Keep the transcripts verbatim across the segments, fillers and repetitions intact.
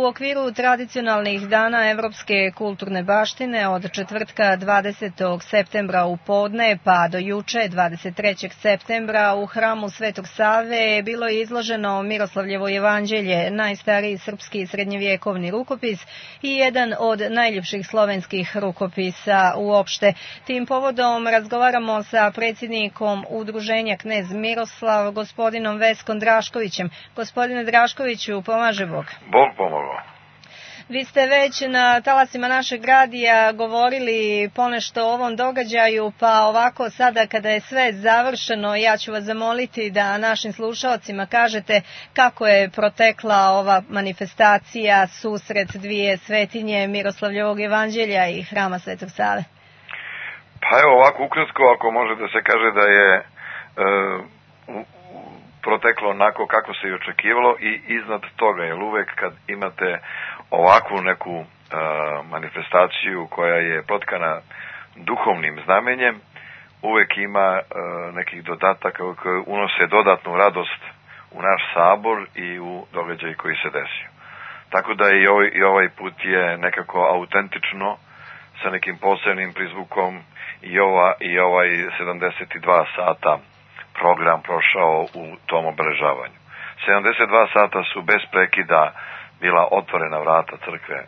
okviru tradicionalnih dana Evropske kulturne baštine od četvrtka dvadesetog septembra u podne pa do juče dvadeset trećeg septembra u hramu Svetog Save bilo je izloženo Miroslavljevo jevanđelje, najstariji srpski srednjevjekovni rukopis i jedan od najljepših slovenskih rukopisa uopšte. Tim povodom razgovaramo sa predsjednikom Udruženja Knez Miroslav, gospodinom Veskom Draškovićem. Gospodine Draškoviću, pomaže Bog. Bog pomogao. Vi ste već na talasima našeg radija govorili ponešto o ovom događaju, pa ovako sada kada je sve završeno, ja ću vas zamoliti da našim slušalcima kažete kako je protekla ova manifestacija, susret dvije svetinje Miroslavljevog jevanđelja i hrama Svetog Save. Pa evo ovako ukratko, ako može da se kaže da je e, proteklo onako kako se i očekivalo i iznad toga, jer uvek kad imate ovakvu neku e, manifestaciju koja je protkana duhovnim znamenjem, uvek ima e, nekih dodataka koji unose dodatnu radost u naš sabor i u događaj koji se desio. Tako da i ovaj, i ovaj put je nekako autentično, sa nekim posebnim prizvukom i, ova, i ovaj sedamdeset dva sata program prošao u tom obeležavanju. sedamdeset dva sata su bez prekida bila otvorena vrata crkve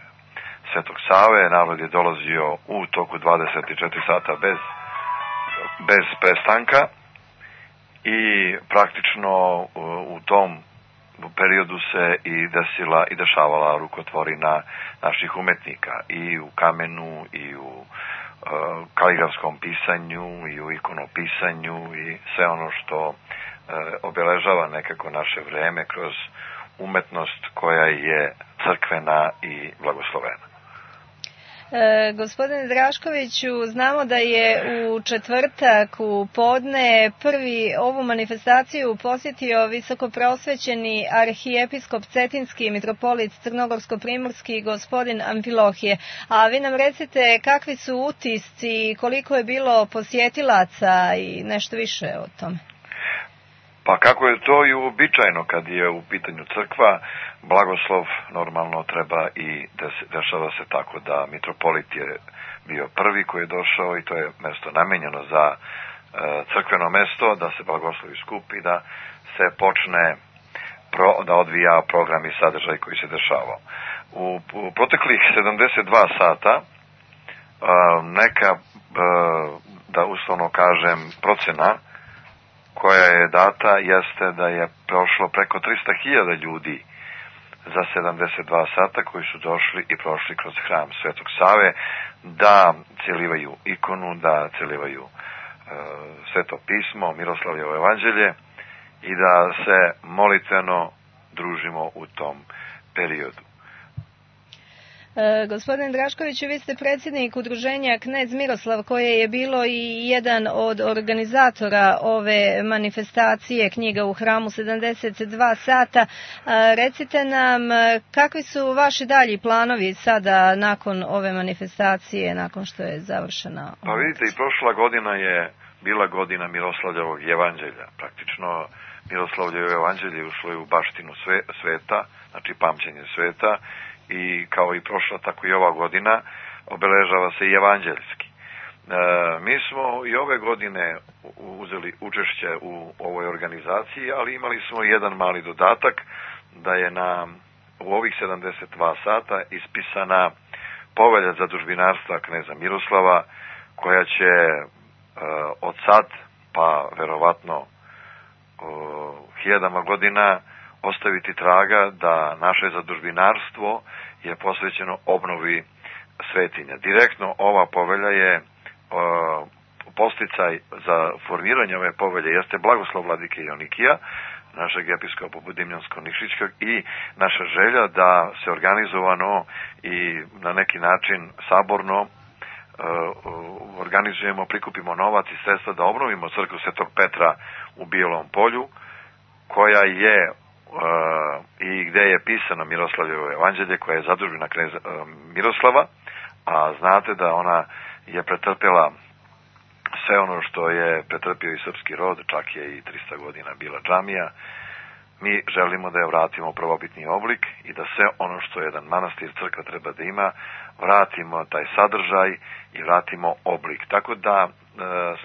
Svetog Save, narod je dolazio u toku dvadeset četiri sata bez, bez prestanka i praktično u tom periodu se i desila i dešavala rukotvorina naših umetnika i u kamenu i u uh, kaligrafskom pisanju i u ikonopisanju i sve ono što uh, obeležava nekako naše vreme kroz umetnost koja je crkvena i blagoslovena. E, gospodine Draškoviću, znamo da je u četvrtak u podne prvi ovu manifestaciju posjetio visokopreosvećeni arhijepiskop Cetinski mitropolit Crnogorsko-primorski gospodin Amfilohije. A vi nam recite kakvi su utisci, koliko je bilo posjetilaca i nešto više o tome. Pa kako je to i uobičajeno kad je u pitanju crkva, blagoslov normalno treba i dešava se tako da mitropolit je bio prvi koji je došao i to je mesto namenjeno za crkveno mesto, da se blagoslovi skupi, da se počne pro, da odvija program i sadržaj koji se dešavao. U, u proteklih sedamdeset dva sata neka, da uslovno kažem, procena koja je data jeste da je prošlo preko trista hiljada ljudi za sedamdeset dva sata koji su došli i prošli kroz hram Svetog Save da celivaju ikonu, da celivaju e, Sveto pismo, Miroslavljevo evanđelje i da se molitveno družimo u tom periodu. E, gospodin Draškoviću, vi ste predsjednik Udruženja Knez Miroslav koje je bilo i jedan od organizatora ove manifestacije knjiga u hramu sedamdeset dva sata. E, recite nam kakvi su vaši dalji planovi sada nakon ove manifestacije, nakon što je završena? Pa vidite, i prošla godina je bila godina Miroslavljevog jevanđelja. Praktično Miroslavljevo evanđelje ušlo je u baštinu sve, sveta, znači pamćenje sveta, i kao i prošla, tako i ova godina obeležava se i evanđeljski. E, mi smo i ove godine uzeli učešće u ovoj organizaciji, ali imali smo jedan mali dodatak da je na, u ovih sedamdeset dva sata ispisana povelja zadužbinarstva kneza Miroslava, koja će e, od sad, pa verovatno o, hiljadama godina ostaviti traga da naše zadužbinarstvo je posvećeno obnovi svetinja. Direktno ova povelja je e, posticaj za formiranje ove povelje jeste blagoslov vladike Jonikija, našeg episkopa Budimljansko-Nikšićkog, i naša želja da se organizovano i na neki način saborno e, organizujemo, prikupimo novac i sredstva da obnovimo crkvu Svetog Petra u Bijelom Polju, koja je Uh, i gde je pisano Miroslavljevo evanđelje, koja je zadužbina kneza uh, Miroslava, a znate da ona je pretrpjela sve ono što je pretrpio i srpski rod, čak je i trista godina bila džamija, mi želimo da je vratimo u prvobitni oblik i da sve ono što jedan manastir, crkva treba da ima, vratimo taj sadržaj i vratimo oblik. Tako da e,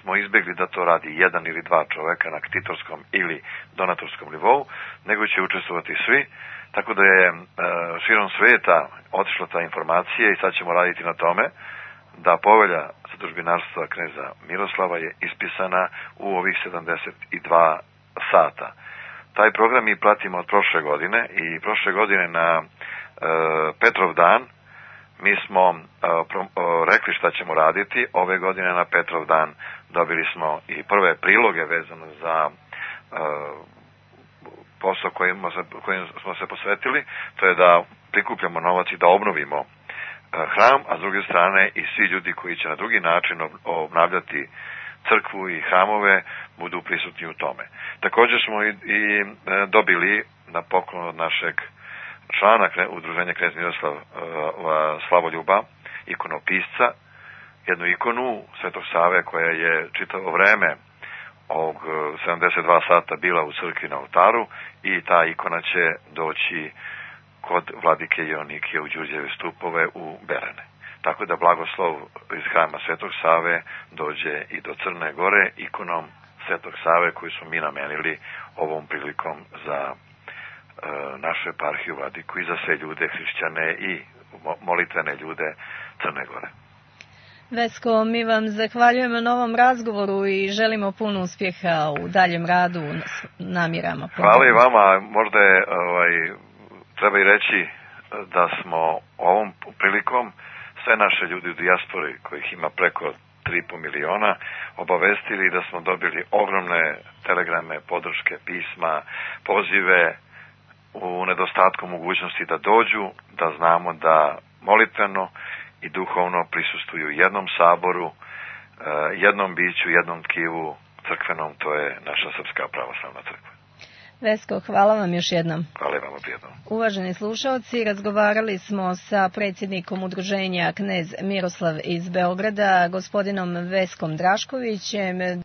smo izbjegli da to radi jedan ili dva čoveka na ktitorskom ili donatorskom nivou, nego će učestvovati svi. Tako da je e, širom sveta otišla ta informacija i sad ćemo raditi na tome da povelja zadužbinarstva kneza Miroslava je ispisana u ovih sedamdeset dva sata. Taj program mi pratimo od prošle godine i prošle godine na e, Petrov dan mi smo e, pro, e, rekli šta ćemo raditi. Ove godine na Petrov dan dobili smo i prve priloge vezano za e, posao kojim, kojim smo se posvetili. To je da prikupljamo novac i da obnovimo e, hram, a s druge strane i svi ljudi koji će na drugi način obnavljati crkvu i hramove budu prisutni u tome. Također smo i, i e, dobili na poklon od našeg člana udruženja knez Miroslav e, Slavoljuba, ikonopisca, jednu ikonu Svetog Save koja je čitavo vreme ovog sedamdeset dva sata bila u crkvi na oltaru i ta ikona će doći kod vladike Ionike u Đurđeve stupove u Berane. Tako da blagoslov iz hrama Svetog Save dođe i do Crne Gore ikonom Svetog Save koju smo mi namenili ovom prilikom za e, našu eparhiju vladiku i za sve ljude, hrišćane i molitvene ljude Crne Gore. Vesko, mi vam zahvaljujemo na ovom razgovoru i želimo puno uspjeha u daljem radu namirama. Hvala i vama. Možda je, ovaj, treba i reći da smo ovom prilikom sve naše ljudi u dijaspori, kojih ima preko tri i po miliona, obavestili da smo dobili ogromne telegrame, podrške, pisma, pozive u nedostatku mogućnosti da dođu, da znamo da molitveno i duhovno prisustuju jednom saboru, jednom biću, jednom tkivu crkvenom, to je naša Srpska pravoslavna crkva. Vesko, hvala vam još jednom. Hvala vam prijedno. Uvaženi slušalci, razgovarali smo sa predsjednikom udruženja knez Miroslav iz Beograda, gospodinom Veskom Draškovićem.